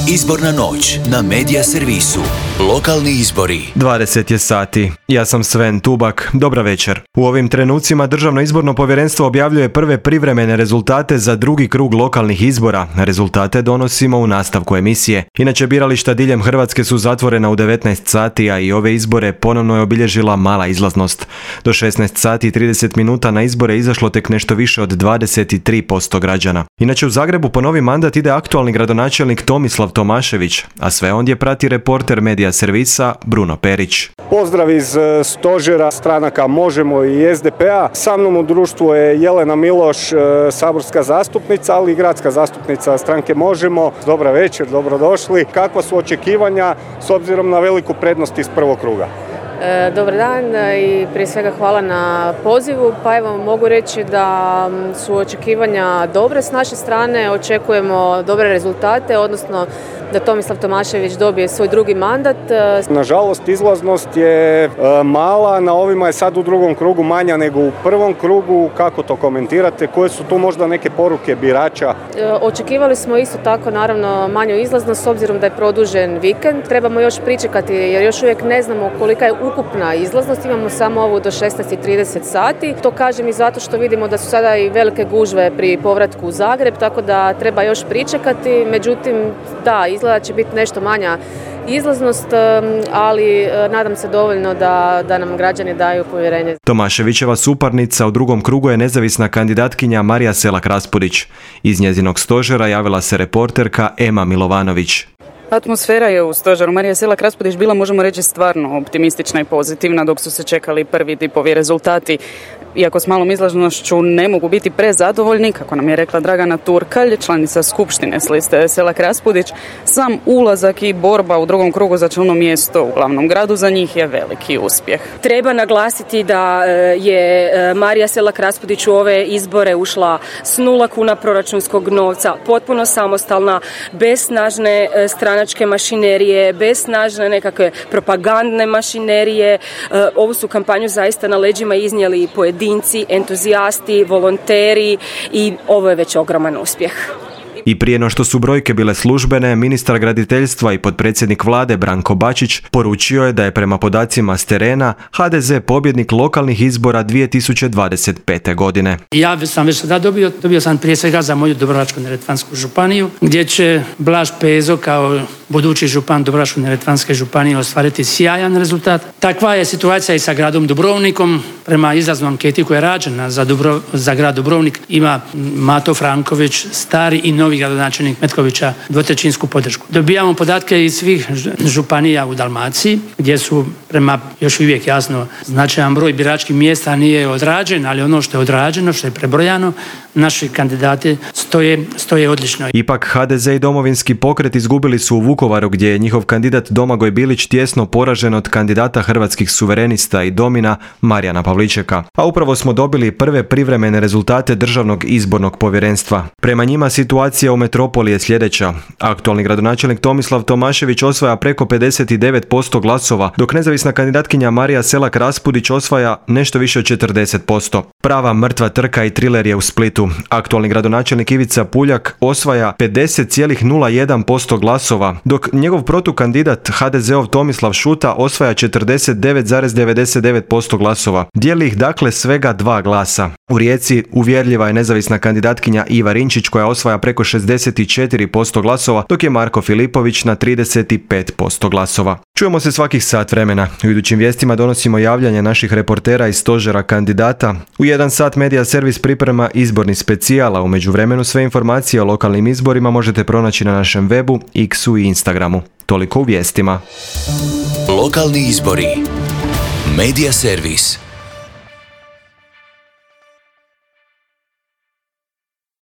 Izborna noć na Medija servisu. Lokalni izbori. 20 je sati. Ja sam Sven Tubak. Dobra večer. U ovim trenucima Državno izborno povjerenstvo objavljuje prve privremene rezultate za drugi krug lokalnih izbora. Rezultate donosimo u nastavku emisije. Inače, birališta diljem Hrvatske su zatvorena u 19 sati, a i ove izbore ponovno je obilježila mala izlaznost. Do 16 sati i 30 minuta na izbore izašlo tek nešto više od 23% građana. Inače, u Zagrebu po novi mandat ide aktualni gradonačelnik Tomislav Tomašević, a sve ondje prati reporter Medija servisa Bruno Perić. Pozdrav iz stožera stranaka Možemo i SDP-a. Sa mnom u društvu je Jelena Miloš, saborska zastupnica, ali i gradska zastupnica stranke Možemo. Dobra večer, dobrodošli. Kakva su očekivanja s obzirom na veliku prednost iz prvog kruga? Dobar dan i prije svega hvala na pozivu. Pa evo, mogu reći da su očekivanja dobre s naše strane, očekujemo dobre rezultate, odnosno da Tomislav Tomašević dobije svoj drugi mandat. Nažalost, izlaznost je mala, na ovima je sad u drugom krugu manja nego u prvom krugu. Kako to komentirate? Koje su tu možda neke poruke birača? Očekivali smo isto tako naravno manju izlaznost s obzirom da je produžen vikend. Trebamo još pričekati jer još uvijek ne znamo kolika je ukupna izlaznost. Imamo samo ovu do 16:30 sati. To kažem i zato što vidimo da su sada i velike gužve pri povratku u Zagreb, tako da treba još pričekati. Međutim, da, izgleda će biti nešto manja izlaznost, ali nadam se dovoljno da nam građani daju povjerenje. Tomaševićeva suparnica u drugom krugu je nezavisna kandidatkinja Marija Selak Raspudić. Iz njezinog stožera javila se reporterka Ema Milovanović. Atmosfera je u stožeru Marija Selak Raspudić bila, možemo reći, stvarno optimistična i pozitivna dok su se čekali prvi tipovi rezultati. Iako s malom izlaznošću ne mogu biti prezadovoljni, kako nam je rekla Dragana Turkalj, članica skupštine s liste Selak Raspudić, sam ulazak i borba u drugom krugu za čelno mjesto u glavnom gradu za njih je veliki uspjeh. Treba naglasiti da je Marija Selak Raspudić u ove izbore ušla s 0 kuna proračunskog novca, potpuno samostalna, bez snažne stranačke mašinerije, bez snažne nekakve propagandne mašinerije. Ovu su kampanju zaista na leđima iznijeli pojedinci, entuzijasti, volonteri i ovo je već ogroman uspjeh. I prije no što su brojke bile službene, ministar graditeljstva i potpredsjednik vlade Branko Bačić poručio je da je prema podacima s terena HDZ pobjednik lokalnih izbora 2025. godine. Ja sam već sada dobio sam prije svega za moju Dubrovačko-neretvansku županiju, gdje će Blaž Pezo kao budući župan Dubrovačko-neretvanske županije ostvariti sjajan rezultat. Takva je situacija i sa gradom Dubrovnikom. Prema izlaznoj anketi koja je rađena za grad Dubrovnik ima Mato Franković, stari i novi gradonačelnik Metkovića, dvotrećinsku podršku. Dobijamo podatke iz svih županija u Dalmaciji, gdje su prema još uvijek jasno značajan broj biračkih mjesta nije odrađen, ali ono što je odrađeno, što je prebrojano, naši kandidati stoje odlično. Ipak HDZ i Domovinski pokret izgubili su u Vukovaru, gdje je njihov kandidat Domagoj Bilić tjesno poražen od kandidata Hrvatskih suverenista i Domina Marijana Pavličeka. A upravo smo dobili prve privremene rezultate Državnog izbornog povjerenstva. Prema njima situacija u metropoli je sljedeća. Aktualni gradonačelnik Tomislav Tomašević osvaja preko 59% glasova, dok nezavisna kandidatkinja Marija Selak Raspudić osvaja nešto više od 40%. Prava mrtva trka i triler je u Splitu. Aktualni gradonačelnik Ivica Puljak osvaja 50,01% glasova, dok njegov protukandidat HDZ-ov Tomislav Šuta osvaja 49,99% glasova. Dijeli ih dakle svega 2 glasa. U Rijeci uvjerljiva je nezavisna kandidatkinja Iva Rinčić koja osvaja preko 64% glasova, dok je Marko Filipović na 35% glasova. Čujemo se svakih sat vremena. U idućim vijestima donosimo javljanje naših reportera iz stožera kandidata. U 1 sat Medija servis priprema izborni specijal, a u međuvremenu sve informacije o lokalnim izborima možete pronaći na našem webu, X-u i Instagramu. Toliko u vijestima. Lokalni izbori. Medija servis.